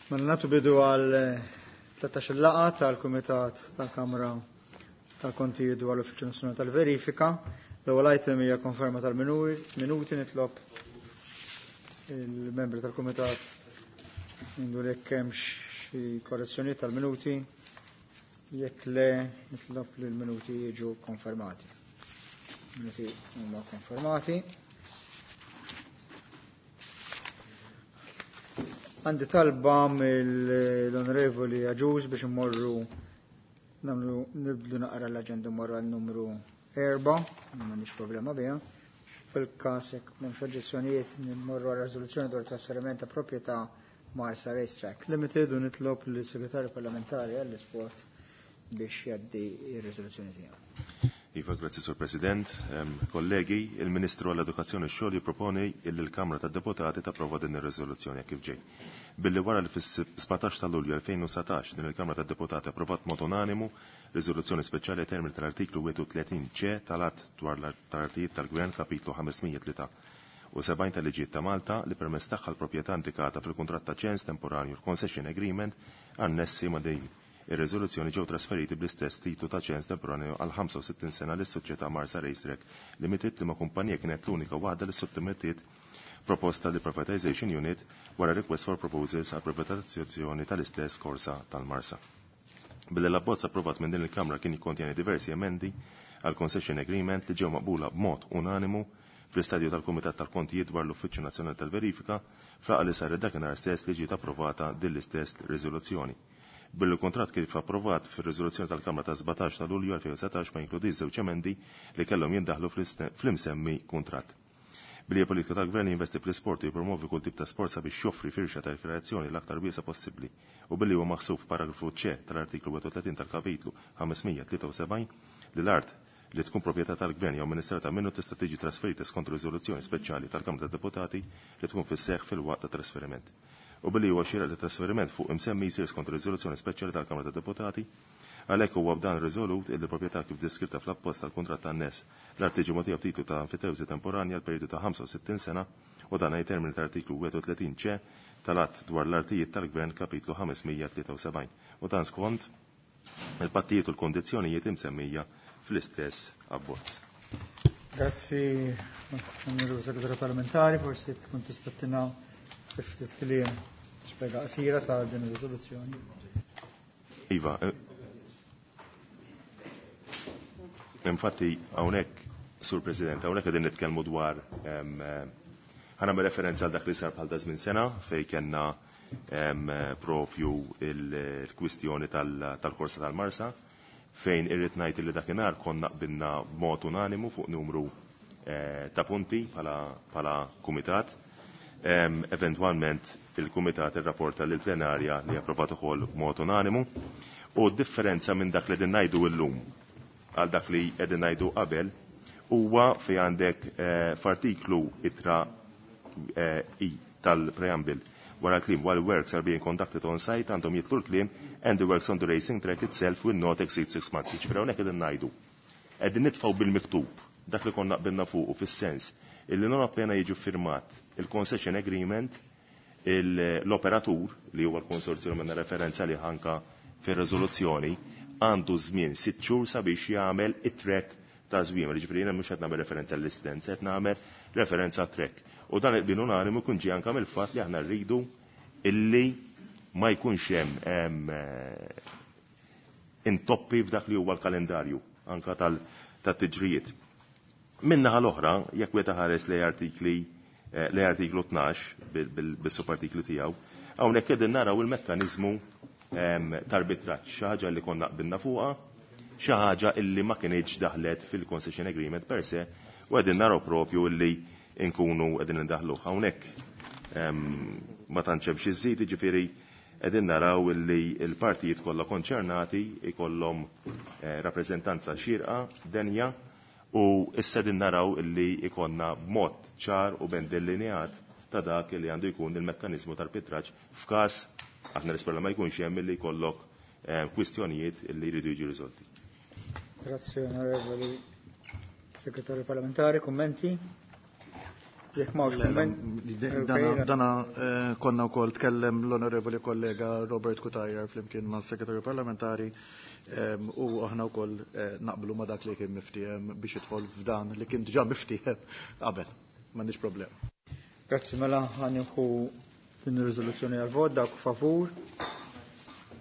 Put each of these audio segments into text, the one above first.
Mela nagħtu bidu għal 13 laqgħa tal-Kumitat tal-Kamra tal-Kontijiet dwar l-Uffiċċju Nazzjonali tal-Verifika. L-ewwel item hija konferma tal-minuti nitlob il-membri tal-Kumitat jindu jekk hemm xi korrezzjonijiet tal-minuti. Jekk le nitlob li l-minuti jiġu konfermati. Minuti huma konfermati. Għandi talba mill-Onorevoli Aġuż biex immorru namlu nibdlu naqra l-aġenda mmorru għal numru 4, m'għandix problema biha. Fil-każ jekk m'hemmx oġġezzjonijiet nimmorru għal riżoluzzjoni dwar trasferiment ta' proprjetà Marsa Racetrack Limited u nitlob lis-Segretarju Parlamentari għall-Isport biex jgħaddi r-riżoluzzjoni tiegħu. Iva, grazzi Sur President. Kollegi, il-Ministru għall-Edukazzjoni xogħol jipproponi illi l-Kamra tad-Deputati tapprova din ir-riżoluzzjoni kif ġej. Billi wara li fis-17 ta' Lulju 2019 din il-Kamra tad-Deputati approvat mod unanimu riżoluzzjoni speċjali termini tal-artiklu 31 C tal-Att dwar l-Artijiet tal-Gvern kapitlu 503 u 70 tal-liġijiet ta' Malta li permezz tagħha l-proprjetà indikata fil-kuntratt ta' ċens temporanju l-Concession Agreement annessi ma' din ir-riżoluzzjoni ġew trasferiti bl-istess titlu ta' ċens temporanju għal 65 sena lis-soċjetà Marsa Racetrack Limited li ma' kumpanija kienet l-unika waħda li sottomettiet proposta li Privatization Unit wara request for proposals għal privatizzazzjoni tal-istess korsa tal-Marsa. Billi l-abbozz approvat minn din il-Kamra kien jikkontjeni diversi emendi għal concession agreement li ġew maqbula b'mod unanimu fl-istadju tal-Kumitat tal-Kontijiet dwar l-Uffiċċju Nazzjonali tal-Verifika fl li saret dakinhar stess li ġiet approvata din l-istess riżoluzzjoni. Billi l-kuntratt kif approvat fir-riżoluzzjoni tal-Kamra ta' 17 ta' Lulju 2019 ma jinkludix żewġ emendi li kellhom jindaħlu fl-imsemmi kuntratt. Billi hija politika tal-Gvern jinvesti fl-isport u jippromovi kull tip ta' sport sabiex joffri firxa ta' rekreazzjoni l-aktar wiesa possibbli u billi huwa maħsub f'paragrafu C tal-artiklu 31 tal-kapitlu 573 li l-art li tkun proprjetà tal-Gvern jew amministrata minnu tista' tiġi trasferita skont riżoluzzjoni speċjali tal-Kamra tad-Deputati li tkun fis-seħħ fil-waqt ta' trasferiment. U billi huwa xieraq li trasferiment fuq imsemmi jsir skont riżoluzzjoni speċjali tal-Kamra tad-Deputati, għalhekk huwa b'dan riżolut illi proprjetà kif deskritta fl-appost tal-kuntratt tan-nes l-art tiġi mogħtija b'titlu ta' enfitewżi temporanja għal perjodu ta' 65 sena u dan ai termini tal-artiklu 31 C tal-Att dwar l-Artijiet tal-Gvern kapitlu 573 u dan skont il-pattijiet u l-kondizzjonijiet imsemmija fl-istess abbozz. Grazzi, Onorevoli Segretarju Parlamentari, forsi tkun tista' tina ftit kliem spjega qasira ta' din ir-riżoluzzjoni. Iva, infatti hawnhekk, Sur President, hawnhekk qegħdin nitkellmu dwar ħa nagħmel referenza għal dak li sar bħal żmien sena fej kellna propju il-kwistjoni tal-korsa tal-Marsa fejn irrid ngħid li dakinhar konna qbilna b'mod unanimu fuq numru ta' punti bħala kumitat. Eventwalment il-kumitat irrapporta lill plenarja li approvat ukoll b'mod unanimu u d-differenza minn dak li qegħdin ngħidu llum għal dak li qegħdin ngħidu qabel huwa fi għandek f'artiklu ittra I tal-preamble wara l-kliem while works are being conducted on site għandhom jitlu l-kliem and the works on the racing track itself will not exceed 6 months. Ġifieri hawnhekk qegħdin ngħidu. Qegħdin nitfgħu bil-miktub dak li konna qbilna fuq u fis-sens illi non appena jiġu firmat il-concession agreement l-operatur li huwa l-konsorzju minna referenza li ħanka fir-riżoluzzjoni għandu żmien 6 xhur sabiex jagħmel it-track ta' żmien. Ġifieri jiena mhux qed nagħmel referenza l-istenza, qed nagħmel referenza track. U dan il-qbil unanimu jkun ġie anke mill-fatt li aħna rridu illi ma jkunx hemm intoppi f'dak li huwa l-kalendarju anka tat-tiġrijiet. Min-naħa l-oħra, jekk wieħed ħares li artikli li artiklu 12 bis-subartiklu tiegħu, hawnhekk qegħdin naraw il-mekkaniżmu tal-arbitraġġ, xi ħaġa li konna qbilna fuqha, xi ħaġa illi ma kinitx daħlet fil-concession agreement per se, u qegħdin naraw propju illi nkunu qegħdin indaħluh. Hawnhekk ma tantx hemm xi żżid, jiġifieri qegħdin naraw illi l-partijiet kollha konċernati ikollhom rappreżentanza xierqa, denja, u issa qegħdin naraw illi ikonna b'mod ċar u ben delineat ta' dak li għandu jkun il-mekkaniżmu tal-arbitraġġ f'każ aħna nispera ma jkunx hemm illi jkollok kwistjonijiet illi jridu jiġu riżolti. Grazie, onorevoli Segretarju Parlamentari. Kummenti? Jekk m'hawnx kumment. Dana konna wkoll tkellem l-onorevoli kollega Robert Cutajar flimkien mas-Segretarju Parlamentari u aħna wkoll naqblu ma' dak li kien miftiehem biex jidħol f'dan li kien diġà miftiehem qabel. M'għandix problema. Grazzi, mela ħa nieħu din ir-riżoluzzjoni għal vot, dawk favur,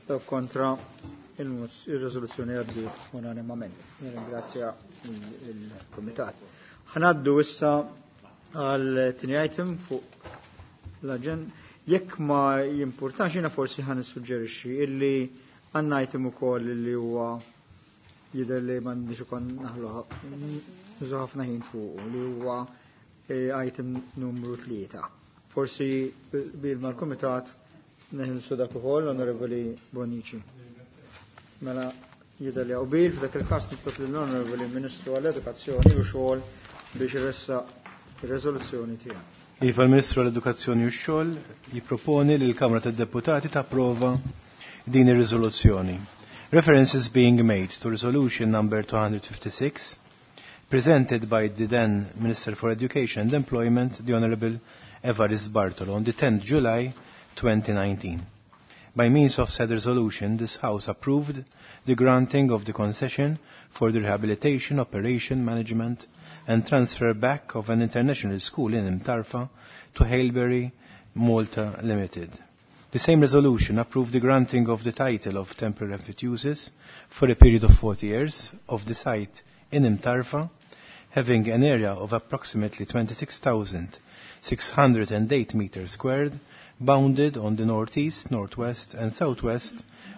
dawk kontra, ir-riżoluzzjoni għaddiet unanimament. Nirringrazzja il-Kumitat. Ħa ngħaddu issa għal tieni item fuq l-aġenda. Jekk ma jimpurtax, jiena forsi ħa nissuġġerixxi illi għandna item ukoll illi huwa jidher li m'għandix ukoll naħlu nużu ħafna ħin fuq, li huwa item numru 3. Forsi bil mal-Kumitat neħilsu dak ukoll, Onorevoli Bonnici. Mela jidher li hawn bil, f'dak il-każ nitlob lill-Onorevoli Ministru għall-Edukazzjoni u Xogħol biex iressaq ir-riżoluzzjoni tiegħu. Iva, l-Ministru għall-Edukazzjoni u x-Xogħol jipproponi li l-Kamra tad-Deputati tapprova din ir-riżoluzzjoni. References being made to resolution number 256 presented by the then Minister for Education and Employment, the Honorable Evarist Bartolo, on the 10th July 2019. By means of said resolution, this House approved the granting of the concession for the rehabilitation, operation, management, and transfer back of an international school in Mtarfa to Haileybury Malta Limited. The same resolution approved the granting of the title of temporary emphyteusis for a period of 40 years of the site in Mtarfa, having an area of approximately 26,608 meters squared, bounded on the northeast, northwest, and southwest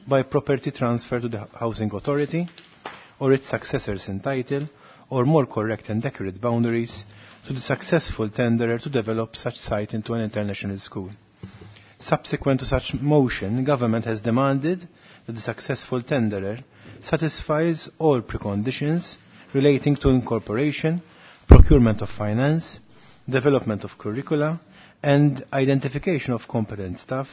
by property transfer to the Housing Authority or its successors in title, or more correct and accurate boundaries, to the successful tenderer to develop such site into an international school. Subsequent to such motion, government has demanded that the successful tenderer satisfies all preconditions relating to incorporation, procurement of finance, development of curricula, and identification of competent staff,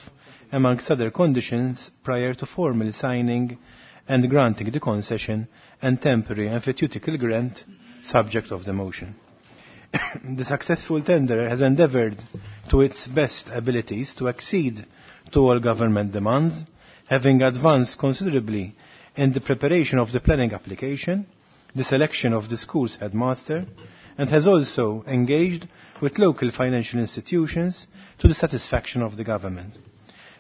amongst other conditions, prior to formally signing and granting the concession and temporary emphyteutical grant subject of the motion. The successful tenderer has endeavored to its best abilities to accede to all government demands, having advanced considerably in the preparation of the planning application, the selection of the school's headmaster, and has also engaged with local financial institutions to the satisfaction of the government.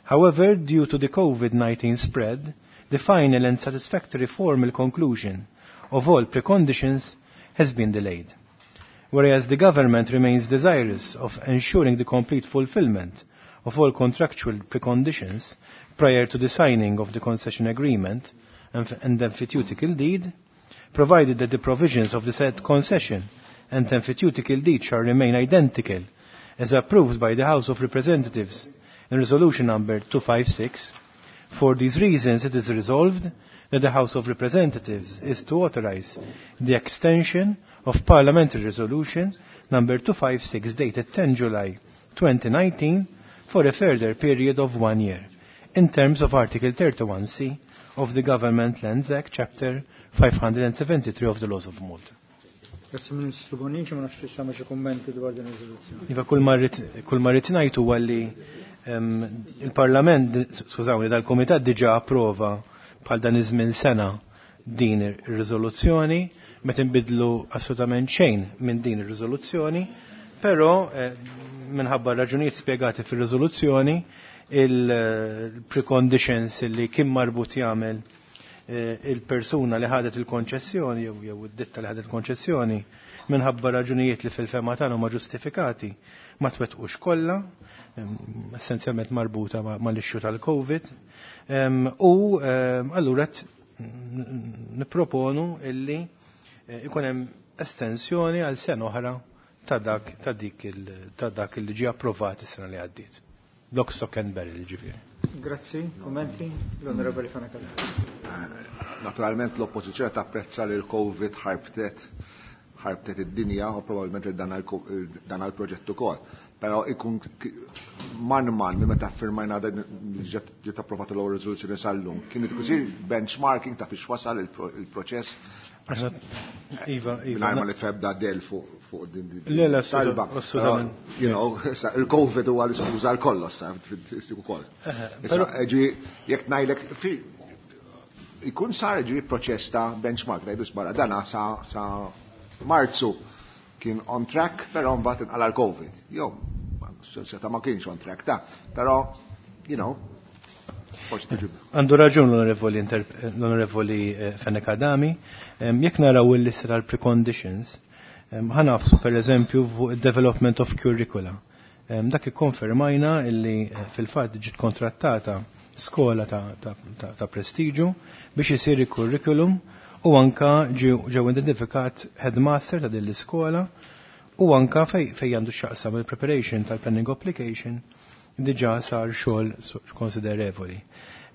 However, due to the COVID-19 spread, the final and satisfactory formal conclusion of all preconditions has been delayed. Whereas the government remains desirous of ensuring the complete fulfillment of all contractual preconditions prior to the signing of the concession agreement and emphyteutical deed, provided that the provisions of the said concession and emphyteutical deed shall remain identical as approved by the House of Representatives in Resolution number 256, for these reasons it is resolved that the House of Representatives is to authorize the extension of Parliamentary Resolution number 256 dated 10 July 2019 for a further period of 1 year, in terms of Article 31C of the Government Lands Act, Chapter 573 of the Laws of Malta. Grazie Ministru Bonnici, ma nafx tista' xi kummenti dwar din ir-riżoluzzjoni. Iva, kull ma rrid ngħid huwa li il-Parlament, skużawni, dal-Kumitat diġà approva bħal dan iż-żmien sena din ir-riżoluzzjoni, ma tinbidlu assolutament xejn minn din ir-riżoluzzjoni, però minħabba raġunijiet spjegati fir-riżoluzzjoni il-preconditions li kien marbut jagħmel il-persuna li ħadet il-konċessjoni jew id-ditta li ħadet il-konċessjoni minħabba raġunijiet li fil-fema tagħna huma ġustifikati ma twettqux kollha, essenzjalment marbuta mal-issue tal-Covid, u allura nipproponu illi ikun hemm estensjoni għal sena oħra ta' dak ta' dik ta' dak li ġie approvat is-sena li għaddiet. Lock, stock and barrel, ġifieri. Grazzi, kommenti, l-Onorevoli Fenech Adami. Naturalment l-oppożizzjoni tapprezza li l-Covid ħarbtet id-dinja u probabbilment dan għal-proġett ukoll. Però ikun man man minn meta firmajna dan ġiet approvata l-ewwel riżoluzzjoni sal-lum, kien isir benchmarking ta' fiex wasal il-proċess. Iva, iva. Mingħajr ma nitfebda del fuq din Le, le, talba. assolutament. You know, il-Covid huwa l-iskuża għal kollox, sa ukoll. Issa, ġi, jekk ngħidlek ikun sar ġi proċess ta' benchmark, ngħidu sbarra dana sa Marzu kien on track, però mbagħad inqala l-Covid. Jo, seta ma kienx on track ta' però, you know, forsi tiġi. Għandu raġun l-onorevoli Fenech Adami, jekk naraw il-lista tal-preconditions, ħa nagħfsu per eżempju fuq il-development of curricula. Dak ikkonfermajna illi fil-fatt ġiet kontrattata skola ta' prestiġu biex isir il-curriculum u anka ġew identifikat headmaster ta' din l-iskola u anka fej għandu x'jaqsam il-preparation tal-planning application diġà sar xogħol konsiderevoli.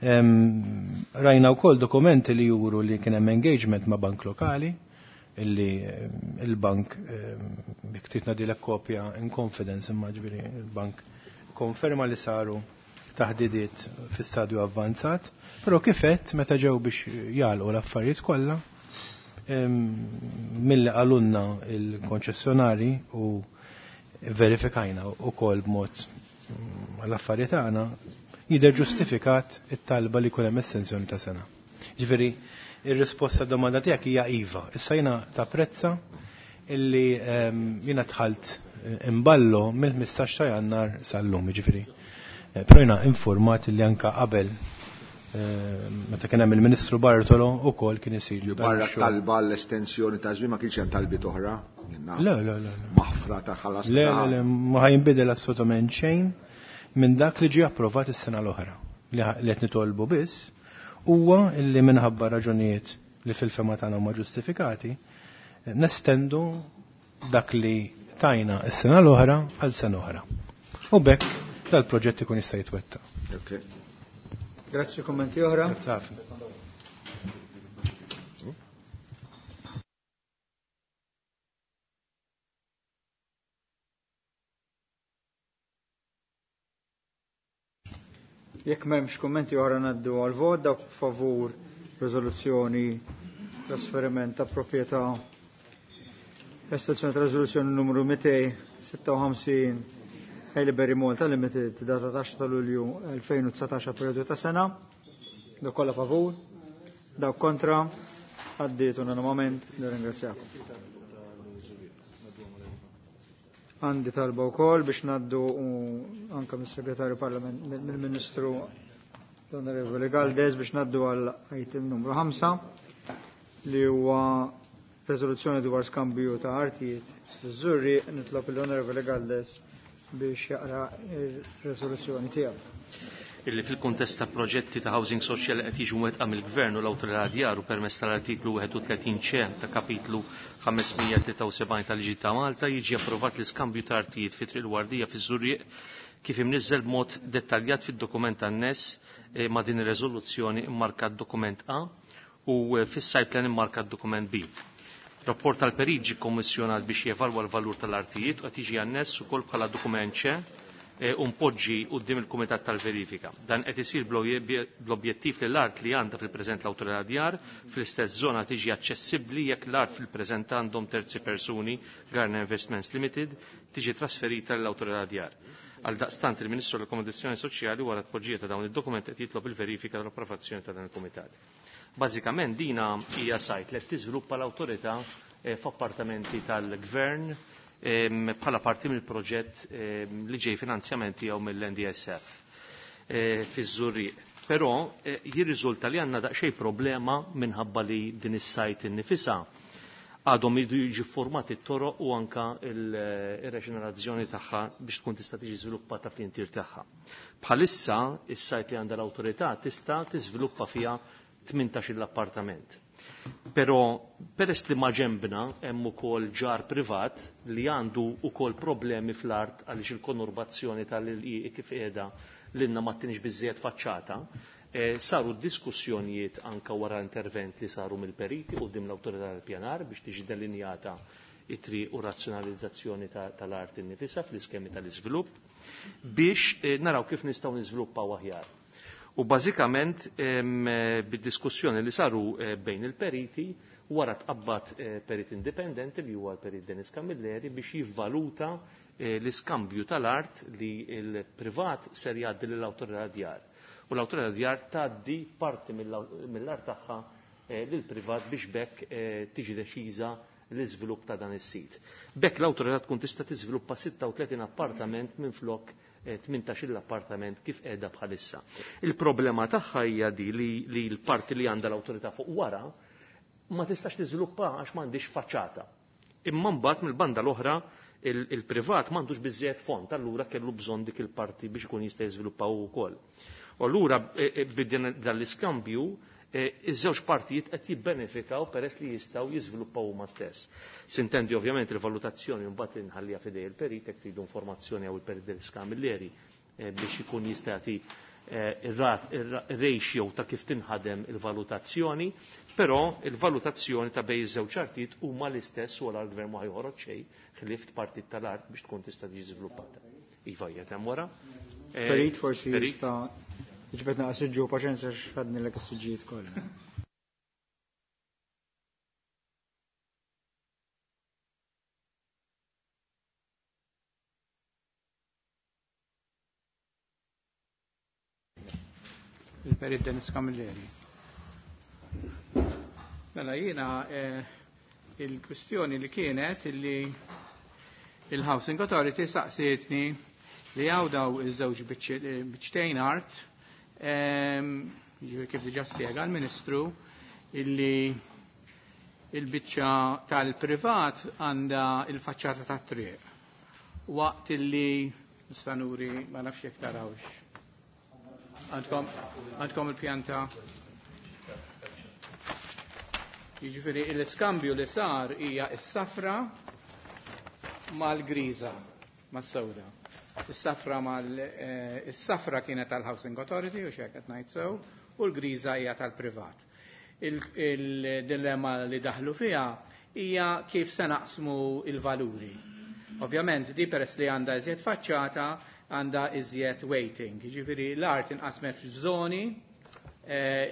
Rajna wkoll dokumenti li juru li kien hemm engagement ma' bank lokali, illi il-bank jekk trid ngħidilek kopja in confidence imma ġifieri il-bank konferma li saru taħdidiet fi stadju avvanzat, però kif għedt meta ġew biex jagħlqu l-affarijiet kollha, milli qalulna il-konċessjonari u verifikajna wkoll b'mod l-affarijiet tagħna jidher ġustifikat it-talba li jkun hemm estensjoni ta' sena. Ġifieri, ir-risposta domanda tiegħek hija iva. Issa jiena tapprezza illi jiena dħalt imballo mill-15 ta' Jannar sal-lum, ġifieri. Però jiena informat illi anka qabel meta kien hemm il-Ministru Bartolo ukoll kien isir. Barra talba l-estensjoni ta' żmien ma kienx hemm talbiet oħra? Le, le, le. Maħfra ta' ħalas. Le, le, le, ma ħajnbidel assolutament xejn minn dak li ġie approvat is-sena l-oħra. Li qed nitolbu biss huwa illi minħabba raġunijiet li fil-fema tagħna huma ġustifikati, nestendu dak li tajna s-sena l-oħra għal sena oħra. U b'hekk dal-proġett ikun jista' jitwettaq. Okay. Grazzi, kommenti oħra. Grazzi ħafna. Jekk m'hemmx kummenti oħra ngħaddu għal vot dawk favur riżoluzzjoni trasferiment ta' proprjetà estensjoni ta' riżoluzzjoni numru 256 Haileybury Malta Limited data 10 ta' Lulju 2019 periodu ta' sena. Dawk kollha favur, dawk kontra, għaddiet unanimament, nirringrazzjakom. Għandi talba wkoll biex ngħaddu anke mis-Segretarju Parlament mill-Ministru l-Onorevoli Galdes biex ngħaddu għal item numru 5 li huwa riżoluzzjoni dwar skambju ta' artijiet fiż-Żurrieq. Nitlob l-Onorevoli Galdes biex jaqra ir-riżoluzzjoni tiegħu. Illi fil-kuntest ta' proġetti ta' housing social qed jiġu mwettqa mill-Gvern u l-Awtorità Djar u permezz tal-artiklu 31 C ta' kapitlu 573 tal-Liġi ta' Malta jiġi approvat l-iskambju ta' artijiet fi Triq il-Wardija fiż-Żurrieq kif imniżżel b'mod dettaljat fid-dokument anness ma' din ir-riżoluzzjoni immarkat dokument A u fis-site plan immarkat dokument B. Rapport tal-perit ġie kommissjonat biex jevalwa l-valur tal-artijiet u qed jiġi anness ukoll bħala dokument C u mpoġġi quddiem il-Kumitat tal-Verifika. Dan qed isir bl-objettiv li l-art li għandha fil-preżent l-Awtorità Djar fl-istess żona tiġi aċċessibbli jekk l-art fil-preżent għandhom terzi persuni Garner Investments Limited tiġi trasferita lill-Awtorità Djar. Għal daqstant il-Ministru tal-Akkomodazzjoni Soċjali wara t-poġġija ta' dawn id-dokumenti qed jitlob il-verifika tal-approvazzjoni ta' dan il-Kumitat. Bażikament dina hija sajt li qed tiżviluppa l-awtorità f'appartamenti tal-Gvern bħala parti mill-proġett li ġej finanzjament tiegħu mill-NDSF fiż-Żurrieq. Però jirriżulta li għandna daqsxejn problema minħabba li din is-sajt innifisha għadhom jridu jiġu formati t-toroq u anka il-reġenerazzjoni tagħha biex tkun tista' tiġi żviluppata fl-intir tagħha. Bħalissa is-sajt li għandha l-awtorità tista' tiżviluppa fiha 18 appartament. Però peress li maġembna hemm ukoll ġar privat li għandu ukoll problemi fl-art għaliex il-konurbazzjoni tal-ilqieq kif qiegħda l-inna ma tinix biżżejjed faċċata, saru diskussjonijiet anka wara intervent li saru mill-periti quddiem l-awtorità tal-pjanar biex tiġi delinjata it-triq u razzjonalizzazzjoni tal-art innifisha fl-iskemi tal-iżvilupp biex naraw kif nistgħu niżviluppaw aħjar. U bażikament bid-diskussjoni li saru bejn il-periti wara tqabbad perit indipendenti li huwa l-perit Dennis Camilleri biex jivvaluta l-iskambju tal-art li l-privat ser jgħaddi lill-awtorità djar. U l-awtorità djar tgħaddi parti mill-art tagħha lill-privat biex bekk tiġi deċiża l-iżvilupp ta' dan is-sit. Bekk l-awtorità tkun tista' tiżviluppa 36 appartament minflok 18 appartament kif qiegħda bħalissa. Il-problema tagħha hija di li l-parti li għandha l-awtorità fuq wara ma tistax tiżviluppa għax m'għandix faċċata. Imma mbagħad mill-banda l-oħra il-privat m'għandux biżżejjed fond, allura kellu bżonn dik il-parti biex ikun jista' jiżviluppa hu wkoll. U allura bidden dan l-iskambju iż-żewġ partijiet qed jibbenefikaw peress li jistgħu jiżviluppaw huma stess. Sintendi ovvjament il-valutazzjoni mbagħad inħallija f'idej il-perit jekk tridu informazzjoni jew il-perit Dennis Camilleri biex ikun jista' jagħti ir-ratio ta' kif tinħadem il-valutazzjoni, però il-valutazzjoni ta' bejn iż-żewġ artijiet huma l-istess u l-gvern ma joħroġ xejn ħlift partit tal-art biex tkun tista' tiġi żviluppata. Iva hija hemm wara. Perit forsi jista' Ġbet naqas ġu paċenza x'ħadni l is-siġġijiet kollha. Il-Perit Dennis Camilleri. Mela jiena il-kwistjoni li kienet illi il-Housing Authority saqsietni li għaw daw iż-żewġ biċċtejn art, jiġifieri kif diġà spjega l-Ministru, illi il-biċċa tal-privat għandha il-faċċata tat-triq. Waqt illi nista' nuri ma nafx jekk tarawx. Għandkom il-pjanta. Jiġifieri l-iskambju li sar hija s-safra mal-griża, mas-sewda. Is-safra mal is-safra kienet tal-Housing Authority u xejn qed ngħid sew, u l-griża hija tal-privat. Il-dilemma li daħlu fiha hija kif se naqsmu il-valuri. Ovvjament di peress li għandha iżjed faċċata għandha iżjed weighting. Jiġifieri l-art inqasmet f'żoni,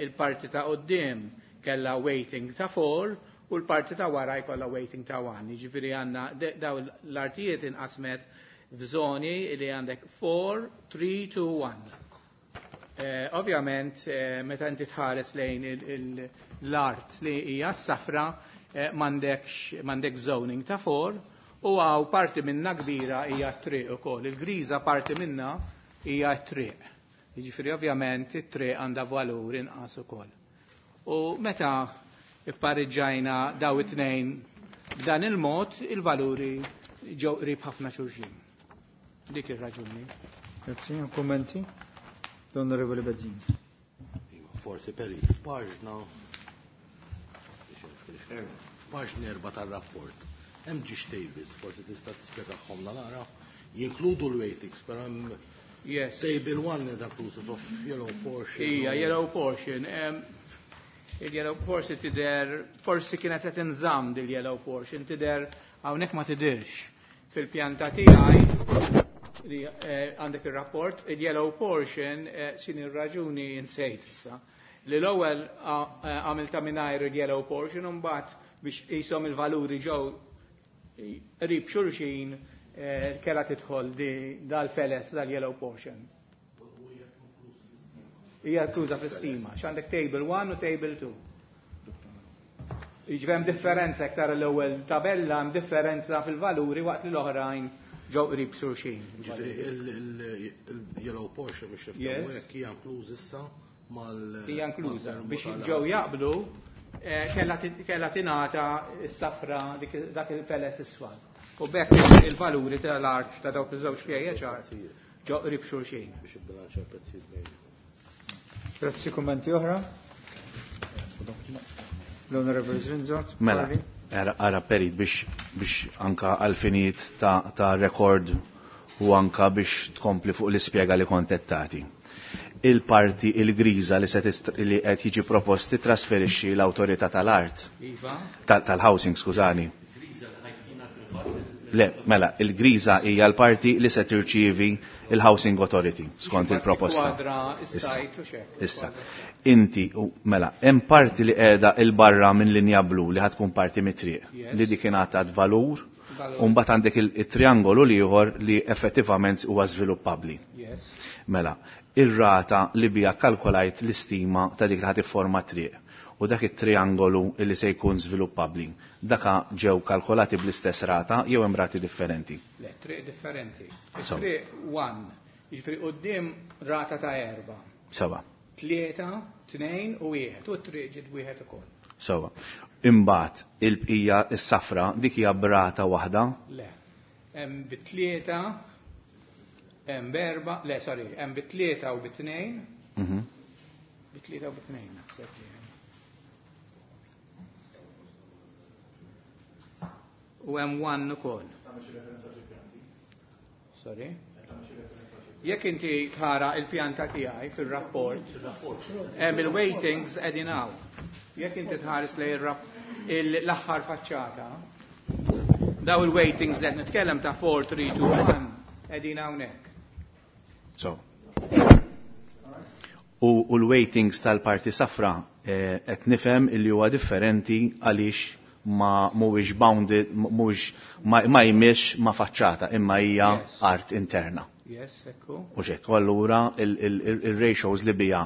il-parti ta' quddiem kellha weighting ta' 4 u l-parti ta' wara jkollha weighting ta' 1. Jiġifieri għandna daw l-artijiet inqasmet f'żoni li għandek 4, 3, 2, 1. Ovvjament, meta inti tħares lejn l-art li hija s-safra, m'għandek zoning ta' 4, u għaw parti minna kbira hija t-triq ukoll. Il-griża parti minna hija t-triq. Jiġifieri ovvjament it-triq għandha valur inqas ukoll. U meta ippariġġajna daw it-tnejn b'dan il-mod, il-valuri ġew qrib ħafna xulxin. Dik ir-raġuni. Grazzi, kummenti? L-Onorevoli Bezzini. Forsi perit, f'paġna 4 tar-rapport. Hemm ġiex tables, forsi tista' tispjegahom nara. Jinkludu l-weightings, però hemm Yes. Table 1 is inclusive of yellow portion. Ija, yellow portion. Il-yellow portion tidher, forsi kienet se tinżamm dil-yellow portion, tidher hawnhekk ma tidirx. Fil-pjanta tiegħi li għandek ir-rapport, il-yellow portion sin ir-raġuni insejt issa. Li l-ewwel għamilta mingħajr il-yellow portion u mbagħad biex qishom il-valuri ġew qrib xulxin kellha tidħol dal-feles dal-yellow portion. Hija inkluża fl-istima, x'għandek table 1 u table 2. Jiġifieri hemm differenza iktar l-ewwel tabella hemm differenza fil-valuri waqt li l-oħrajn ġew qrib xulxin. Ġifieri il-yellow portion biex nifhmu hekk hija inkluż issa mal Hija inkluża biex ġew jaqblu kellha tingħata s-safra dak il-feles isfar. U bekk il-valuri tal-art ta' dawk iż-żewġ PHR ġew qrib xulxin. Biex ibbilanċja l-prezzijiet bejn. Grazzi, kummenti oħra? L-Onorevoli Zrinzo. Mela, ara perit biex anka għal-finijiet ta' rekord u anka biex tkompli fuq l-ispjega li kontettati. Il-parti il-griża li se li qed jiġi proposti trasferixxi l-awtorità tal-art. Iva. Tal-housing, skużani. Le, mela, il-griża hija l-parti li se tirċievi il-Housing Authority skont il-proposta. Issa. Inti, mela, hemm parti li qiegħda il-barra minn linja blu li ħatkun parti mit-triq li dik ingħatat valur, u mbagħad għandek il-triangolu l-ieħor li effettivament huwa żviluppabbli. Mela, ir-rata li bija kalkolajt l-istima ta' dik li ħad ifforma triq u dak it-triangolu li se jkun żviluppabbli. Daka ġew kalkolati bl-istess rata jew hemm rati differenti? Le, triq differenti. Triq 1, jiġifieri quddiem rata ta' 4. Sewa. 3, 2 u 1, u t-triq ġiet wieħed ukoll. Sewa. Imbagħad il-bqija s-safra dik hija b'rata waħda? Le. Hemm bit-tlieta, hemm b'erba', le sorry, hemm bit-tlieta u bit-tnejn. Bit-tlieta u bit-tnejn naħseb li hemm. U hemm one ukoll. Sorry. Jekk inti tara il-pjanta tiegħi fir-rapport, hemm il-weightings qegħdin hawn. Jekk inti tħares lejn l-aħħar faċċata, daw il-weightings li qed nitkellem ta' 4, 3, 2, 1 qegħdin hawnhekk. So. U l-weightings tal-parti safra qed nifhem illi huwa differenti għaliex ma mhuwiex bounded, mhuwiex ma jmix ma faċċata imma hija art interna. Yes, ekku. U xek, allura il-ratios li bija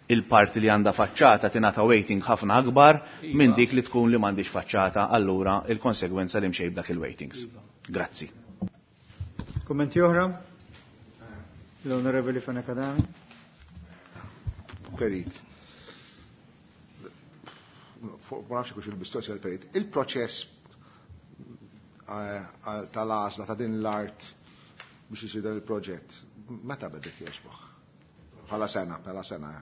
il-parti li għandha faċċata tingħata weighting ħafna akbar minn dik li tkun li m'għandix faċċata, allura il-konsegwenza li mxej b'dak il-weightings. Grazzi. Kommenti oħra? L-Onorevoli Fenech Adami. Perit. Ma nafx kux il-mistoqsija l-perit. Il-proċess tal-għażla ta' din l-art biex isir dan il-proġett, meta bedek jogħġbok? Bħala sena, bħala sena.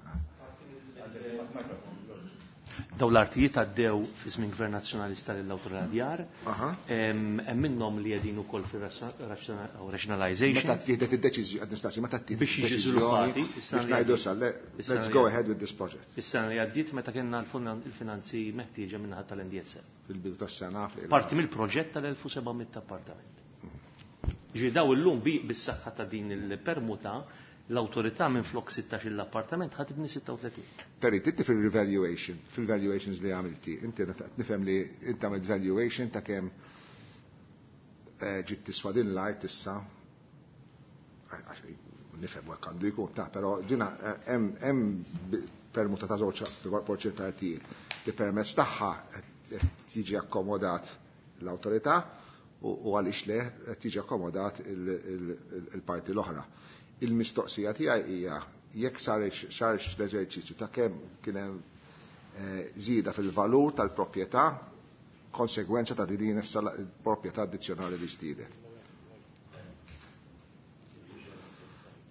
Daw l-artijiet għaddew fi żmien Gvern Nazzjonalista lill-Awtorità Djar. Hemm minnhom li qegħdin ukoll fir-rationalization. Meta ttieħdet id-deċiżjoni, qed nistaqsi, meta ttieħdet Biex jiġi żviluppati, biex ngħidu sa, let's go ahead with this project. Is-sena li għaddiet meta kellna il-finanzi meħtieġa min-naħa tal-NDSF. Fil-bidu tas-sena fl- Parti mill-proġett tal-1700 appartament. Ġifieri daw illum bis-saħħa ta' din il-permuta l-awtorità minn flok 16 l-appartament ħa tibni 36. Perit, inti fil-revaluation, fil-valuations li għamilti, inti nifhem li inti għamilt valuation ta' kemm ġiet tiswa din l-art issa, għax nifhem hekk għandu jkun, ta' però ġina hemm permuta ta' żewġ porċent ta' artijiet li permezz tagħha qed tiġi akkomodat l-awtorità u għaliex le qed tiġi akkomodat il-parti l-oħra. Il-mistoqsija tiegħi hija jekk sarx l-eżerċizzju ta' kemm kien hemm żieda fil-valur tal-proprjetà konsegwenza ta' din issa l-proprjetà addizzjonali li żdiedet.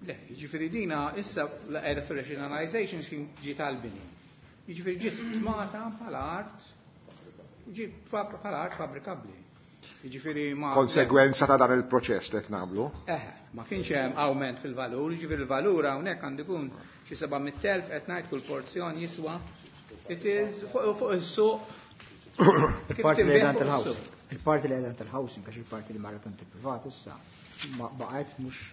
Le, jiġifieri dina issa qiegħda fir-rationalization kien ġiet għall-bini. Jiġifieri ġiet stmata bħala art, ġiet bħala art fabbrikabbli. Jiġifieri ma Konsegwenza ta' dan il-proċess li qed nagħmlu. Ma kienx hemm awment fil-valur, jiġifieri il-valur hawnhekk għandu jkun xi 700,000 qed ngħid kull porzjon jiswa. It is fuq is-suq. Il-parti li qiegħda tal-housing. Il-parti li qiegħda tal-housing għax il-parti li marret għand il-privat issa ma baqgħet mhux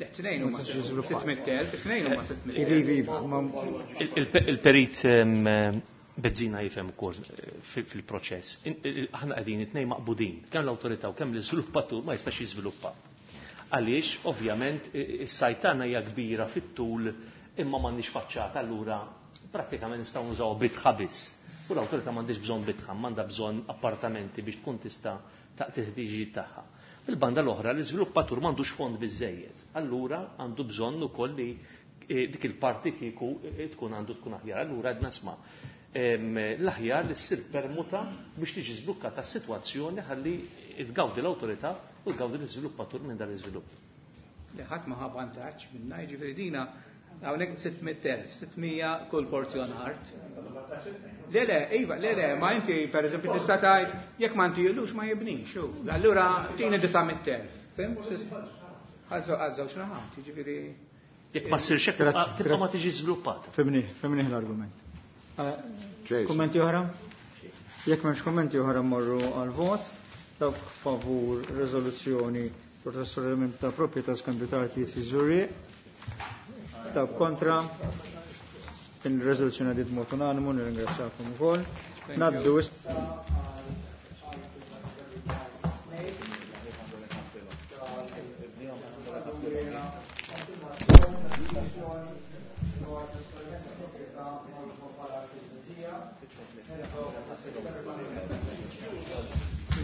Le, tnejn huma Ma tistax jiżviluppa. 600,000, tnejn huma 600,000. Ivi, ivi, ma Il-perit Bezzina jifhem ukoll fil-proċess. Aħna qegħdin it-tnejn maqbudin, kemm l-awtorità u kemm l-iżviluppatur ma jistax jiżviluppa. Għaliex, ovvjament, is-sajtana hija kbira fit-tul imma m'għandniex faċċata, allura prattikament nistgħu nużaw bitħa biss. U l-awtorità m'għandix bżonn bitħa, m'għandha bżonn appartamenti biex tkun tista' taqti ħtiġijiet tagħha. Il-banda l-oħra, l-iżviluppatur m'għandux fond biżejjed. Allura għandu bżonn ukoll li dik il-parti kieku tkun għandu tkun aħjar. Allura għedna sma' l-aħjar li ssir permuta biex tiġi żblukkata s-sitwazzjoni ħalli tgawdi l-awtorità u tgawdi l-iżviluppatur minn dan l-iżvilupp. Li ħadd ma ħa vantaġġ minna, jiġifieri dina hawnhekk 600,000, 600 kull porzjon art. Le, le, iva, le, le, ma inti per eżempju tista' tgħid jekk ma ntijlux ma jibnix, u allura tini 900,000. Fim? Għażżew x'naħat, jiġifieri Jekk ma ssirx hekk, Grazzi, tibqa' ma grazzi. tiġi żviluppata. Fimni, fimni l-argument. Jason. Kommenti oħra? Jekk m'hemmx kommenti oħra mmorru għal vot. Dawk favur riżoluzzjoni dwar trasferiment ta' proprjetà skambju ta' artijiet fi Żurrieq. Dawk kontra. Din ir-riżoluzzjoni għaddiet b'mod unanimu, nirringrazzjakom ukoll. Naddu issa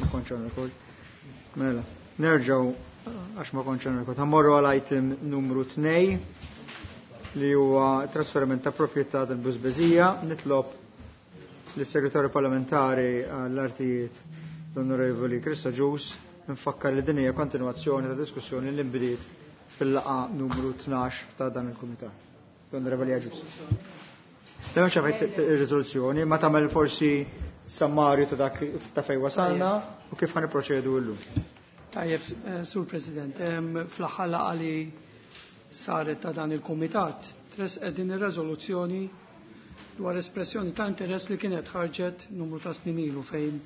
Ma kontx on record. Mela, nerġgħu għax ma kontx on record. Ħammorru għal item numru 2 li huwa trasferiment ta' proprjetà tal-Busbeżija. Nitlob lis-Segretarju Parlamentari għall-Artijiet l-Onorevoli Chris Agius nfakkar li din hija kontinwazzjoni ta' diskussjoni li nbdiet fil-laqgħa numru 12 ta' dan il-Kumitat. L-Onorevoli Agius. Demma ċafajt il-rizoluzzjoni, ma tagħmel forsi sammarju ta' dak ta' fej wasalna u kif ħan proċedu llum. Tajjeb, Sur President, fl-aħħar laqgħa li saret ta' dan il-Kumitat, tresqet din ir-reżoluzzjoni dwar espressjoni ta' interess li kienet ħarġet numru ta' snin ilu fejn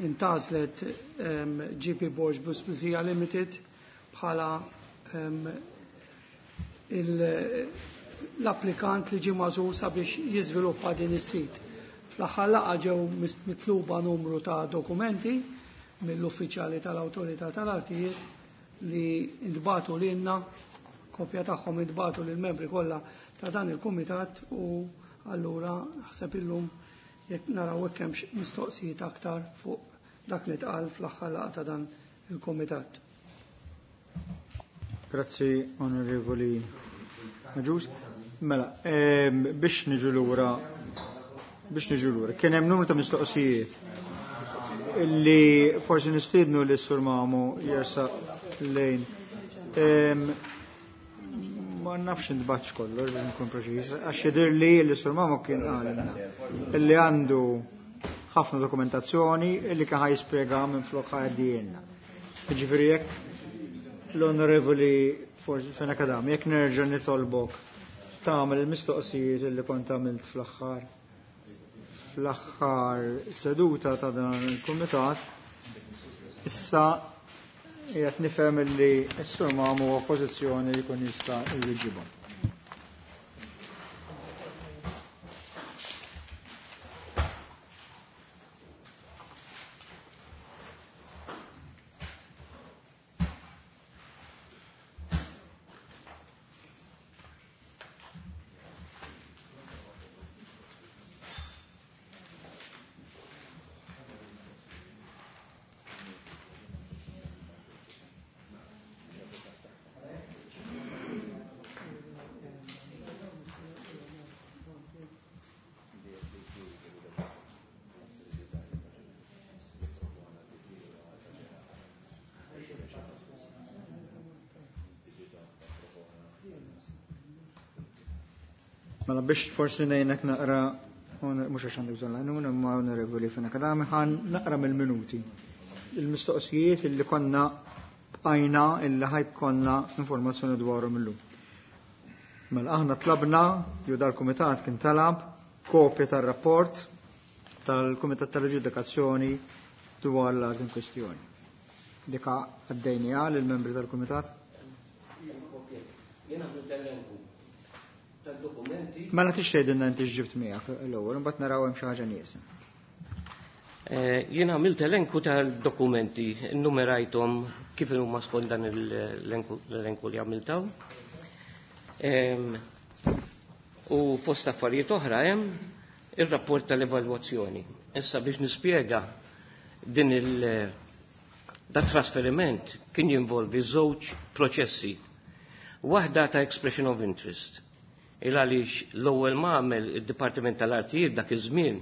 intgħażlet GP Borg Busbizija Limited bħala l-applikant li ġie magħżul sabiex jiżviluppa din is-sit. Fl-aħħar laqgħa ġew mitluba numru ta' dokumenti mill-uffiċjali tal-Awtorità tal-Artijiet li ntbagħtu lilna, kopja tagħhom intbagħtu lill-membri kollha ta' dan il-kumitat u allura ħseb illum jekk naraw hekk hemmx mistoqsijiet aktar fuq dak li tqal fl-aħħar laqgħa ta' dan il-kumitat. Grazzi, Onorevoli Agius. Mela, biex niġu lura, biex niġu lura, kien hemm numru ta' mistoqsijiet li forsi nistiednu li s-Sur Mamu jersaq lejn. Ma nafx intbatx kollox biex nkun preċiż, għax jidher li l-Sur Mamu kien qalilna li għandu ħafna dokumentazzjoni li kien ħa jispjega minn flok ħa jgħaddilna. Jiġifieri jekk l-Onorevoli forsi Fenech Adami, jekk nerġa' nitolbok tagħmel il-mistoqsijiet li kont għamilt fl-aħħar seduta ta' dan il-kumitat, issa qiegħed nifhem li s-Sur Mamu huwa pożizzjoni li jkun jista' jwiġibhom. Mela biex forsi ngħinek naqra, mhux għax għandek bżonn l-għajnuna, imma Onorevoli Fenech Adami, ħan naqra mill-minuti. Il-mistoqsijiet illi konna bqajna illi ħajkonna informazzjoni dwarhom illum. Mela aħna tlabna, jew dal-kumitat kien talab, kopja tar-rapport tal-Kumitat tal-Ġudikazzjoni dwar l-art in kwestjoni. Dika għaddejniha lill-membri tal-Kumitat? Jien għamlu tal-elenku tad-dokumenti. Mela tix tgħidilna inti x'ġibt miegħek l-ewwel, imbagħad naraw hemm xi ħaġa nieqsa. Jien għamilt elenku tal-dokumenti, nnumerajthom kif huma skont dan l-elenku li għamiltaw. U fost affarijiet oħra hemm ir-rapport tal-evalwazzjoni. Issa biex nispjega din il da trasferiment kien jinvolvi żewġ proċessi. Waħda ta' expression of interest. Il għaliex l-ewwel ma għamel id-Dipartiment tal-Artijiet dak iż-żmien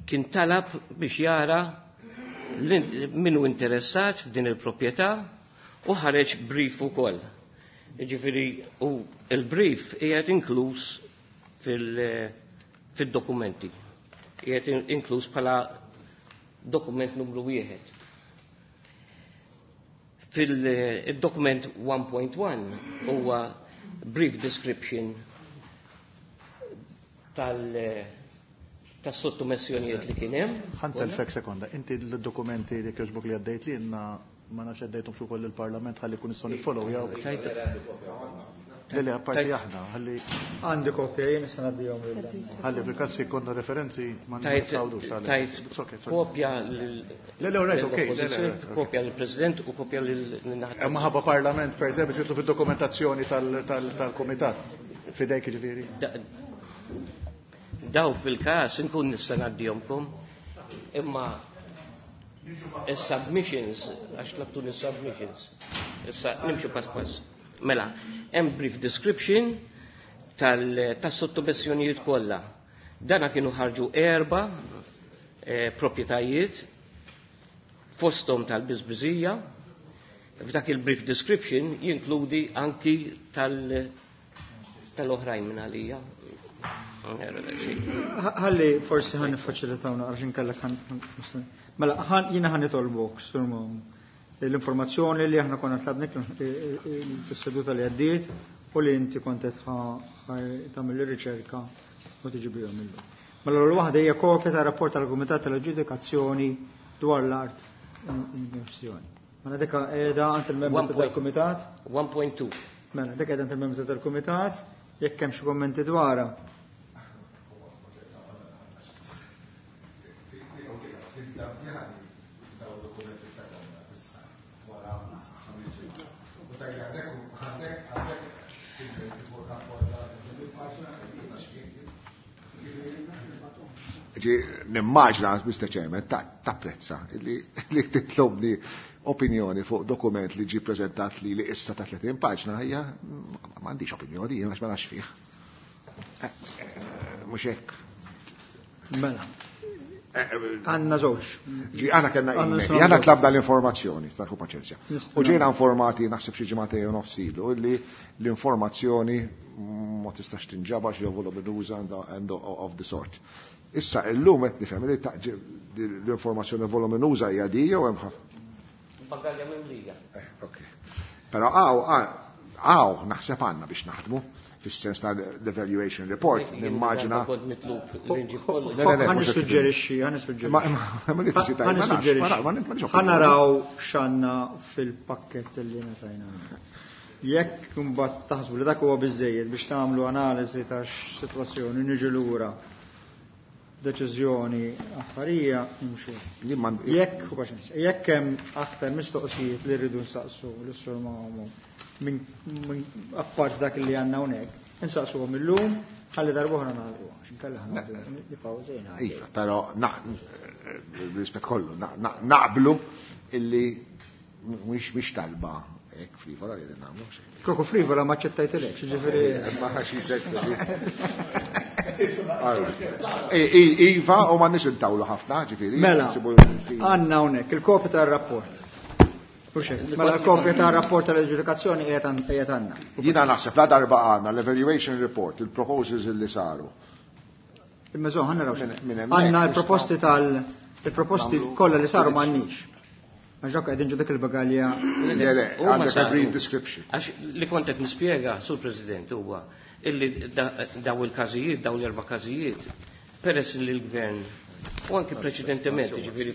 kien talab biex jara min hu interessat f'din il-proprjetà u ħareġ brief ukoll. Jiġifieri u il-brief qiegħed inkluż fil-dokumenti. Qiegħed inkluż bħala dokument numru 1. Fil-dokument 1.1 huwa brief description tas-sottomessjonijiet li kien hemm. Ħa ntellfek sekonda, inti l-dokumenti li kieġbok li għaddejt li jenna ma nafx għaddejthom xi wkoll il-Parlament ħalli kun nistgħu niffollow jew. Le, apparti aħna, ħalli. Għandi kopja, jien issa ngħaddihom lil. Ħalli fil-każ jkollna referenzi ma nistgħux. Tajt kopja lil. Le, right, okay. Kopja lill-President u kopja lil naħa. Ma ħabba Parlament, per eżempju, biex jitlu fid-dokumentazzjoni tal-Kumitat. Fidejk ġifieri. Daw fil-każ inkun nista' ngħaddihomkom, imma is-submissions, għax tlabtuni submissions. Issa nimxu pass pass. Mela, hemm brief description tas-sottomissjonijiet kollha. Dana kienu ħarġu erba proprjetajiet fosthom tal-biżbiżija. F'dak il-brief description jinkludi anki tal-oħrajn minn għalija. Ħalli forsi ħan niffaċilitaw naqra x'inkellek ħan. Mela, jiena ħan nitolbok, Sur Mom, l-informazzjoni li aħna konna tlabnik fis-seduta li għaddiet u li inti kont qed tagħmel ir-riċerka u tiġi bihom illum. Mela l waħda hija kopja ta' rapport tal-Kumitat tal-Aġġudikazzjoni dwar l-art in kwestjoni. Mela dik qiegħda għand il-membri tal-Kumitat. 1.2. Mela dik qiegħda għand il-membri tal-Kumitat, jekk hemm xi kummenti dwarha. Nimmaġna, Mr. Chairman, tapprezza li titlobni opinjoni fuq dokument li ġi prezentat li issa ta' 30 paġna, hija m'għandix opinjoni, jien għax ma nafx fih. Mhux hekk. Mela. Għanna żewġ. Ġi għana kellna email, għana tlabna l-informazzjoni, taħu paċenzja. U ġejna informati naħseb xi ġimgħatej u nofs ilu illi l-informazzjoni ma tistax tinġabar xi voluminuża and of the sort. Issa illum qed nifhem li l-informazzjoni voluminuża hija di jew hemm ħafna. Bagalja mimlija. Ok. Però għaw naħseb għandna biex naħdmu fis-sens ta' l-evaluation report, nimmaġina. Kont mitlub li nġib kollox. Ħa nissuġġerixxi, ħa nissuġġerixxi. Ħa naraw x'għandna fil-pakkett li ngħatajna. Jekk imbagħad taħsbu li dak huwa biżejjed biex tagħmlu analiżi ta' sitwazzjoni niġu lura deċiżjoni affarija nimxu. Jekk jekk hemm aktar mistoqsijiet li rridu nsaqsu l-Sur Mamu minn appart dak li għandna hawnhekk, insaqsuhom illum ħalli darb'oħra nagħlqu għax inkella ħa nibqgħu żejna. Iva, però rispett kollu naqblu illi mhix talba hekk frivola li qegħdin nagħmlu. Kieku frivola ma ċettajtilekx, ġifieri. Ma xi Iva, u ma nix intawlu ħafna, ġifieri. Mela, għandna hawnhekk il-kopja tar-rapport. Mela l-kopja tar-rapport tal-aġġudikazzjoni qiegħed għandna. Jiena naħseb la darba għandna l-evaluation report, il-proposals li saru. Imma żomm ħa naraw. Għandna l-proposti tal-proposti kollha li saru m'għandniex. Għax dak qegħdin ġo dik il-bagalja. Le, le, għandek a brief description. Għax li kont qed nispjega, Sur President, huwa illi daw il-każijiet, daw l-erba' każijiet, peress li l-gvern u anki preċedentement, ġifieri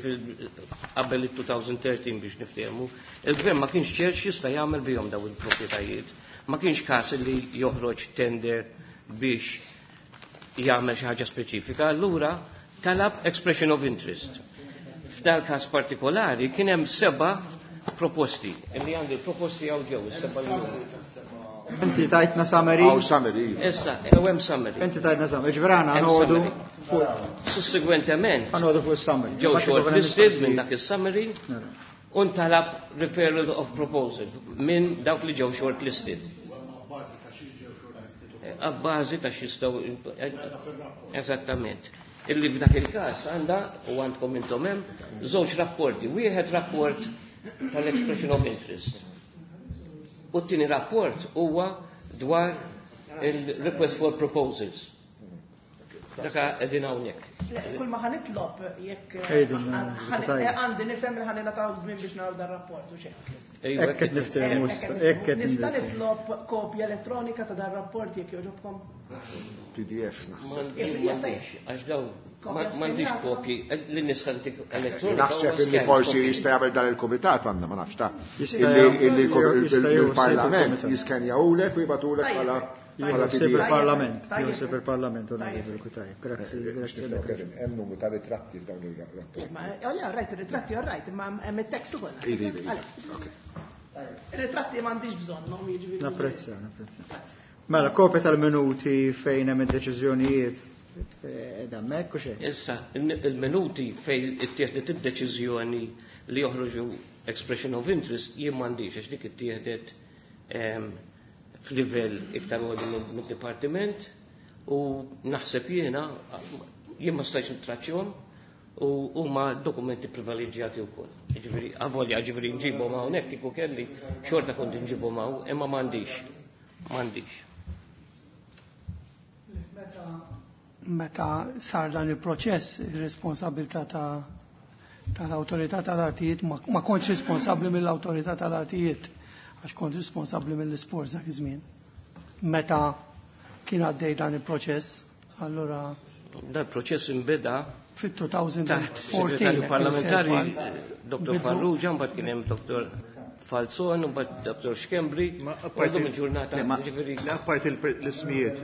qabel il-2013 biex niftehmu, il-gvern ma kienx ċert x'jista' jagħmel bihom daw il-proprjetajiet. Ma kienx każ li joħroġ tender biex jagħmel xi ħaġa speċifika, allura talab expression of interest. F'dal każ partikolari kien hemm 7 proposti, illi għandi proposti hawn ġew is-seba' li huma. Inti tajtna summary. Hawn summary. Issa, hemm summary. Inti tajtna summary, ġifieri aħna ħanoqogħdu fuq. Sussegwentement. Ħanoqogħdu fuq is-summary. Ġew shortlisted minn dak is-summary u ntalab referral of proposal minn dawk li ġew shortlisted. Abbażi ta' x'jistgħu eżattament. Illi f'dak il-każ għandha u għandkom intom hemm żewġ rapporti. Wieħed rapport tal-expression of interest. U t-tieni rapport huwa dwar il-request for proposals. Daka qegħdin hawnhekk. Kull ma ħa nitlob jekk Ejdu, għandi nifhem li ħa ningħataw żmien biex naraw dar-rapport u xejn. Hekk qed niftehmu issa, hekk qed Nista' niftehmu. nitlob kopja elettronika ta' dar-rapport jekk jogħġobkom? PDF naħseb. M'għandix, għax daw m'għandix kopji li nista' ntik elettronika. Naħseb huwa illi scan forsi copy. jista' jagħmel dan il-kumitat għandna ma nafx ta' Jista' illi illi jista' jieħu il-Parlament ħsieb il-kumitat. jiskenjawlek u jibgħatulek bħala bħala Jieħu ħsieb PDF. il-Parlament, Tajjeb. jieħu ħsieb il-Parlament, Onorevoli Cutajar. Grazzi, grazzi. Hemm numru ta' ritratti f'dawn il-rapport. Ma all right, ir-ritratti all right, imma hemm it-tekst ukoll. Ivi, ivi. Għalek. Ok. Ir-ritratti m'għandix bżonnhom jiġifieri. Napprezza, napprezza. Mela, kopja tal-minuti fejn hemm id-deċiżjonijiet eh, hemmhekk u xejn. Issa, il-minuti fejn ittieħdet id-deċiżjoni li joħroġu expression of interest jien m'għandix għax dik ittieħdet f'livell iktar għoli mid-dipartiment u naħseb jiena jien ma stajtx nittraċċjahom u huma dokumenti privileġġjati wkoll. Jiġifieri avolja ġifieri nġibhom hawnhekk kieku kelli xorta kont nġibhom hawn imma m'għandix. M'għandix. Meta sar dan il-proċess, il-responsabilità ta' tal-autorità tal-artijiet, ma kontx responsabbli mill-autorità tal-artijiet, għax kont responsabbli mill-isport dak iż-żmien. Meta kien għaddej dan il-proċess, allura Dan il-proċess inbeda taħt fit-2014 segretarju parlamentari Dr. Bidu- Farrugia, mbagħad kien hemm Dr. Falzon, mbagħad Dr. Schembri, Ma u apparti llum il-ġurnata Le, ma- ġifieri Le apparti l-ismijiet,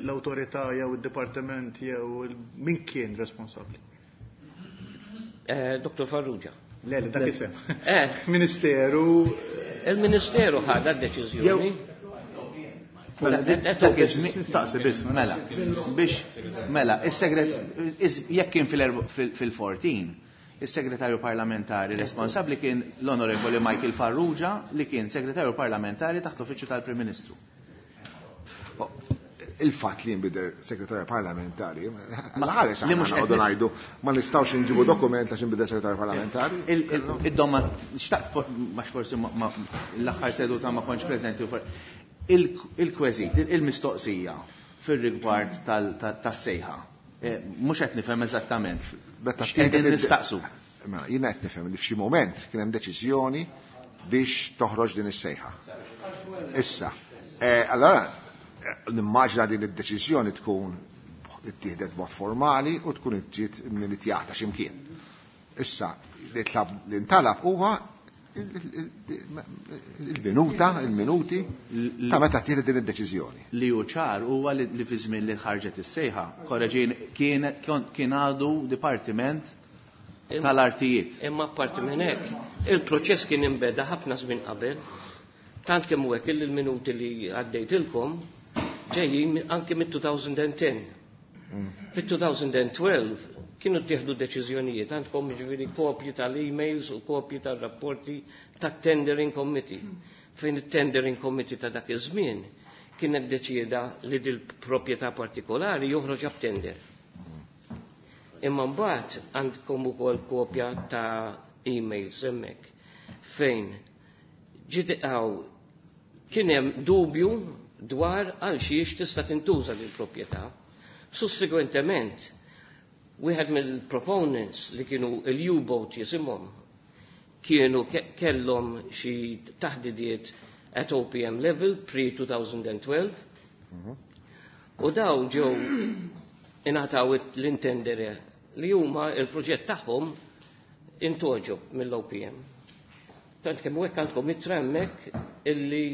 l-autorità jew il-dipartiment jew min kien responsabbli? Dr. Farrugia. Le, dak isem. Eh, Ministeru. Il-Ministeru ħadha d-deċiżjoni. Mela, dak iż-żmien Nistaqsi biss. Mela, biex, mela, is-segret, jekk kien fil-14, is-segretarju parlamentari responsabbli kien l-Onorevoli Michael Farrugia li kien segretarju parlamentari taħt l-Uffiċċju tal-Prim Ministru. Oh, il-fatt li jinbidel segretarju parlamentari, ma ħares li mhux aħna qed noqogħdu ngħidu ma nistgħux inġibu dokument għax inbidel segretarju parlamentari. Id-domma, xtaqt, max forsi l-aħħar seduta ma kontx preżenti il-kweżit, il-mistoqsija fil-rigward tas-sejħa. Mhux qed nifhem eżattament. Meta X'qegħdin nistaqsu. Mela, jiena qed nifhem li f'xi moment kien hemm deċiżjoni biex toħroġ din is-sejħa. Issa, allora nimmaġina din id-deċiżjoni tkun ittieħdet b'mod formali u tkun ġiet militjata x'imkien. Issa, li tlab li ntalab huwa il-minuta, il-minuti ta' meta ttieħdet din id-deċiżjoni. Li hu ċar huwa li fi żmien li ħarġet is-sejħa, korreġin kien għadu dipartiment tal-artijiet. Imma apparti minn hekk, il-proċess kien imbeda ħafna żmien qabel, tant kemm hu hekk il-minuti li għaddejtilkom ġejjin anke mit-2010. Fit-2012 kienu ttieħdu deċiżjonijiet, għandkom ġifieri kopji tal-emails u kopji tal-rapporti tat-tendering committee. Fejn it-tendering committee ta' dak iż-żmien kienet deċieda li dil proprjetà partikolari joħroġ up tender. Imma mbagħad għandkom ukoll kopja ta' emails hemmhekk fejn ġiet kien hemm dubju dwar għal xiex tista' tintuża lil proprjetà. Sussegwentement, wieħed mill-proponents li kienu il-U-boat jisimhom kienu kellhom xi taħdidiet at OPM level pre-2012 u dawn ġew ingħataw l-intendere li huma il-proġett tagħhom intogħġob mill-OPM. Tant kemm hekk għandkom ittra hemmhekk illi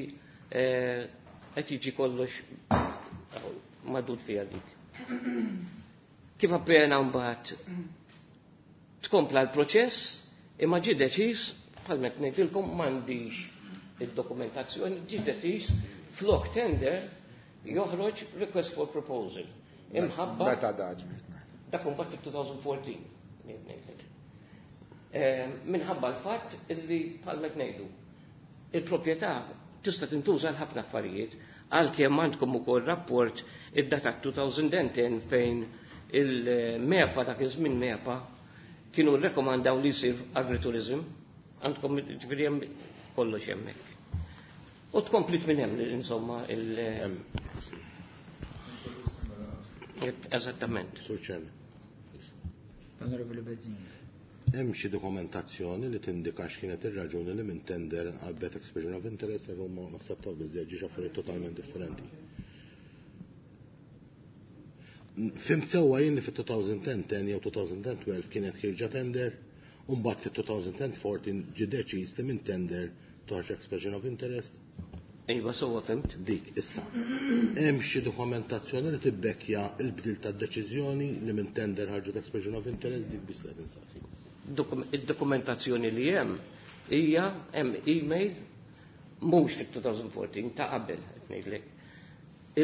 qed jiġi kollox madud fiha dik. Kif appena mbagħad tkompla l-proċess, imma ġie deċiż, bħal meta ngħidilkom m'għandix id-dokumentazzjoni, ġie deċiż flok tender joħroġ request for proposal. Imħabba Meta daġ? dak imbagħad fit-2014. Ngħidlek. Minħabba l-fatt illi bħal meta ngħidu il-proprjetà tista' tintuża għal ħafna affarijiet, għalkemm għandkom ukoll rapport id-data 2010 fejn il-MEPA dak iż-żmien MEPA kienu rrekomandaw li jsir agritourism, għandkom ġifieri hemm kollox hemmhekk. U tkomplit minn hemm insomma il- Eżattament. Sur Chairman. L-Onorevoli Bezzini. Hemm xi dokumentazzjoni li tindika x'kienet ir-raġuni li minn tender għabbet expression of interest għax huma naħseb taw biżżejjed ġiex affarijiet totalment differenti. Fhimt sewwa jien li fit-2010 jew 2012 kienet ħierġa tender u mbagħad fit-2014 ġie deċiż li minn tender toħroġ expression of interest? Iva, sewwa fhimt. Dik, issa. Hemm xi dokumentazzjoni li tibbekkja l-bdil tad-deċiżjoni li minn tender ħarġet expression of interest dik biss li qed insaqsi. Id-dokumentazzjoni li hemm hija hemm email mhux fit-2014 ta' qabel qed ngħidlek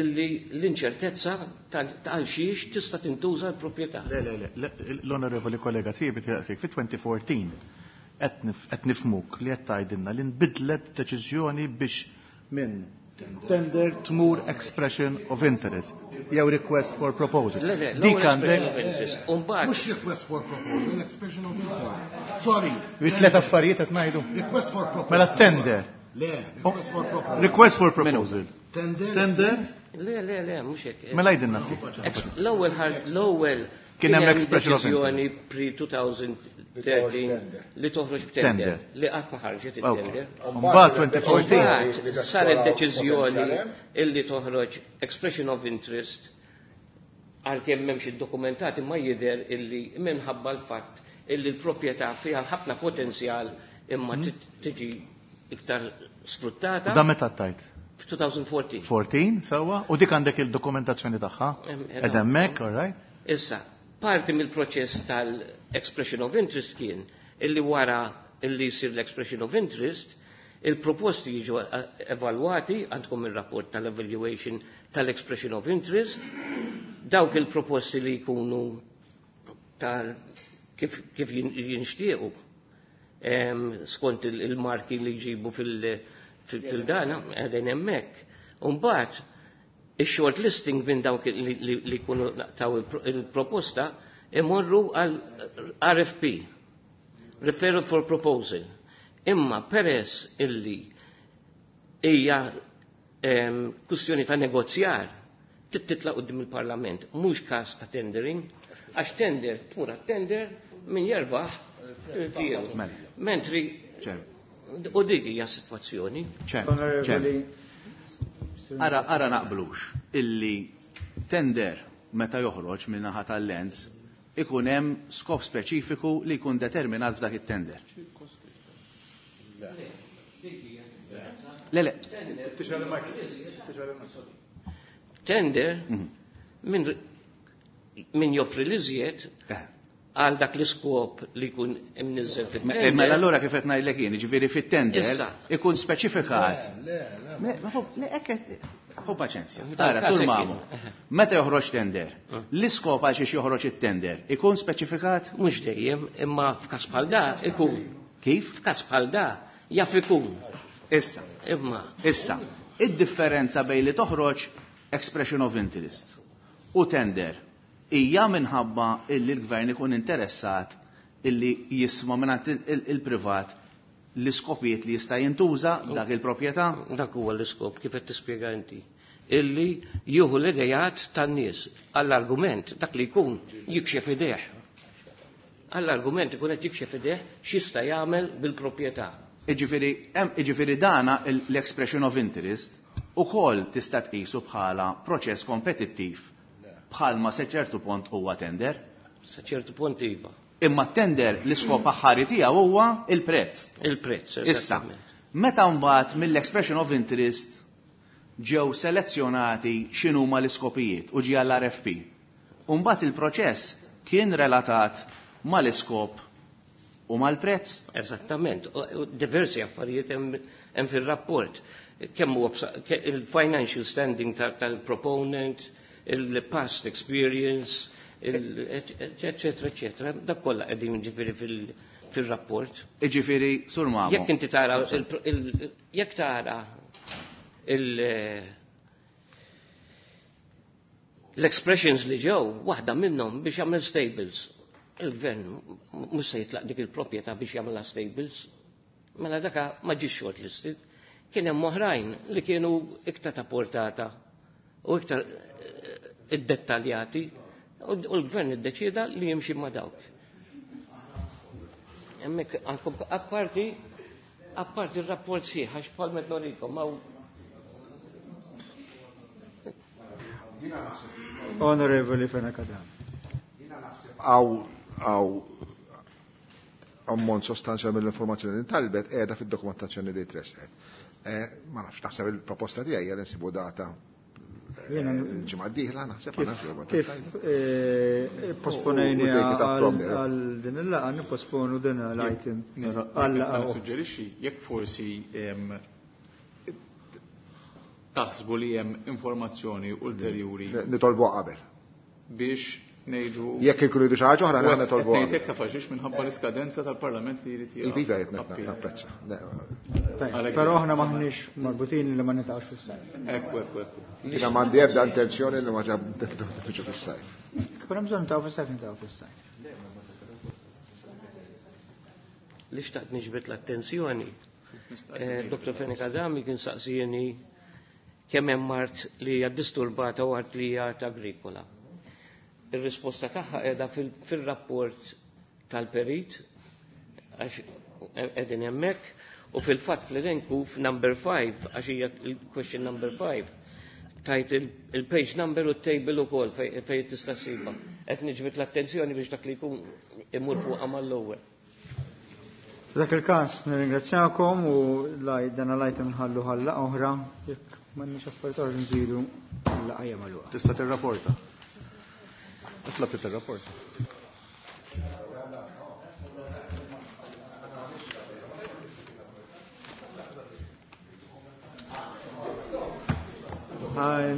illi l-inċertezza ta' għal xiex tista' tintuża l-proprjetà. Le, le, le, l-onorevoli kollega Sibi taqsik fit-2014 qed nifhmuk li qed tgħidilna li nbidlet deċiżjoni biex minn tender tmur expression of interest jew request for proposal. Le, le, Dik l-ewwel għandek expression of interest. U mbagħad Mhux request for proposal, expression of interest. Sorry. Bi tliet affarijiet qed ngħidu. Request for proposal. Mela tender. Le, request for proposal. Request for proposal. Tender. Tender. Le, le, le, mhux hekk. Mela jgħidilna ftit. L-ewwel l-ewwel Kien hemm expression of deċiżjoni pre-2013 li toħroġ b'tender li qatt ma ħarġet it-tender. Mbagħad 2014 Mbagħad saret deċiżjoni illi toħroġ expression of interest għalkemm m'hemmx iddokumentati ma jidher illi minħabba l-fatt illi l-proprjetà fiha ħafna potenzjal imma tiġi iktar sfruttata. U dan meta tajt? F'2014. 14, sewwa, u dik għandek il-dokumentazzjoni tagħha? Ed hemmhekk, all right? Issa, parti mill-proċess tal-expression of interest kien illi wara illi jsir l-expression of interest, il-proposti jiġu evalwati, għandkom il-rapport tal-evaluation tal-expression of interest, dawk il-proposti li jkunu tal kif, kif jinxtiequ skont il-marki li jġibu fil-dana, għedin hemmhekk. Umbagħad il-short listing minn dawk li jkunu taw il-proposta imorru għal RFP, Referral for Proposal. Imma peress illi hija kwistjoni ta' negozjar titla' quddiem il-Parlament, mhux każ ta' tendering, għax tender tmur tender min jerbaħ tiegħu. Mentri u dik hija sitwazzjoni. Ara, ara naqblux illi tender meta joħroġ minn naħa tal-lens ikun hemm skop speċifiku li jkun determinat f'dak it-tender. Le, le. Tender min joffri l-iżjed għal dak l-iskop li jkun imniżżel fit-tender. Mela allura kif qed ngħidlek jien, jiġifieri fit-tender Issa. ikun speċifikat. Le, le, Ma fuq, le, hekk hu paċenzja. F'dan Ara, każ sur hekk mamu. kien. Meta joħroġ tender, l-iskop għal xiex joħroġ it-tender ikun speċifikat? Mhux dejjem, imma f'każ bħal da ikun. Kif? F'każ bħal da jaf ikun. Issa. Imma. Issa, id-differenza bejn li toħroġ expression of interest u tender hija minħabba illi l-gvern ikun interessat illi jisma' mingħand il-privat l-iskopijiet li jista' jintuża dak il-proprjetà? Dak huwa l-iskop kif qed tispjega inti. Illi jieħu l-idejat tan-nies għall-argument dak li jkun jikxef idejh. Għall-argument ikun qed jikxef idejh x'jista' jagħmel bil-proprjetà. Iġifieri dana l-expression of interest ukoll tista' tqisu bħala proċess kompetittiv bħalma se ċertu punt huwa tender. Sa ċertu punt iva. Imma tender l-iskop aħħari tiegħu huwa il-prezz. Il-prezz, Issa, eżattament. meta mbagħad mill-expression of interest ġew selezzjonati x'inhuma l-iskopijiet u ġie għall-RFP. U mbagħad il-proċess kien relatat mal-iskop u mal-prezz. Eżattament. U diversi affarijiet hemm fir-rapport. Kemm huwa il-financial standing tal-proponent, il-past experience, eccetera, eccetera. Dak kollha qegħdin ġifieri fil-rapport. Iġifieri, sur Mamo. Jekk inti tara jekk tara l-expressions li ġew, waħda minnhom biex jagħmel stables. Il-gvern mhux se jitlaq dik il-proprjetà biex jagħmilha stables. Mela daka ma ġiex shortlisted. Kien hemm oħrajn li kienu iktar ta' portata u iktar iddettaljati u l-gvern iddeċieda li jimxi ma' dawk. Hemmhekk għandkom apparti r-rapport sieħ għax bħal met norikom hawn. Onorevoli Fenech Adami. Għaw ammont sostanzjali mill-informazzjoni li ntalbet qiegħda fid-dokumentazzjoni li tresqet. Ma nafx, naħseb il-proposta tiegħi hija li nsibu data il-ġimgħa d-dieħla, naħseb ma nafx. Kif posponejni għal din il-laqgħa, nipposponu din l-item. Għal suġġerixxi jekk forsi taħsbu li hemm informazzjoni ulterjuri. Nitolbu qabel. Biex ngħidu. Jekk ikunu jridu xi ħaġa oħra aħna nitolbu. Qed ngħid hekk taf minħabba l-iskadenza tal-Parlament li jrid jieqaf. Iva qed napprezza. Però aħna maħniex marbutin li ma nitaqgħux fis-sajf. Ekku, ekku, ekku. Jiena m'għandi ebda intenzjoni li ma ġab fis-sajf. Però bżonn nitaqgħu fis-sajf, nitaqgħu fis-sajf. Li xtaqt niġbed l-attenzjoni. Dr. Fenech Adami kien saqsieni kemm hemm art li hija disturbata u art li hija art agrikola. Ir-risposta tagħha qiegħda fil-rapport tal-perit għax qegħdin hemmhekk u fil-fatt fl-elenku f'number 5 għax hija il-question number 5 tajt il-page number u t-table ukoll fejn tista' ssibha. Qed niġbed l-attenzjoni biex dak li jkun imur fuqha mal-ewwel. F'dak il-każ nirringrazzjakom u dan l-item nħallu ħalla oħra jekk m'għandniex affarijiet oħra nżidu l-laqgħa magħluqa. Tista' tirrapporta. Itlob li tirrapporta.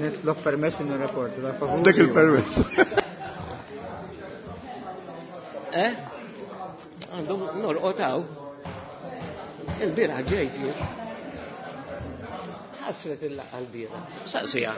Nitlob permess nirrapporta, da favur. Dak il-permess. Eh? Għandhom norqotaw. Il-bieraħ ġejt jien. Ħasret il-laqgħa l-bieraħ. Saqsija.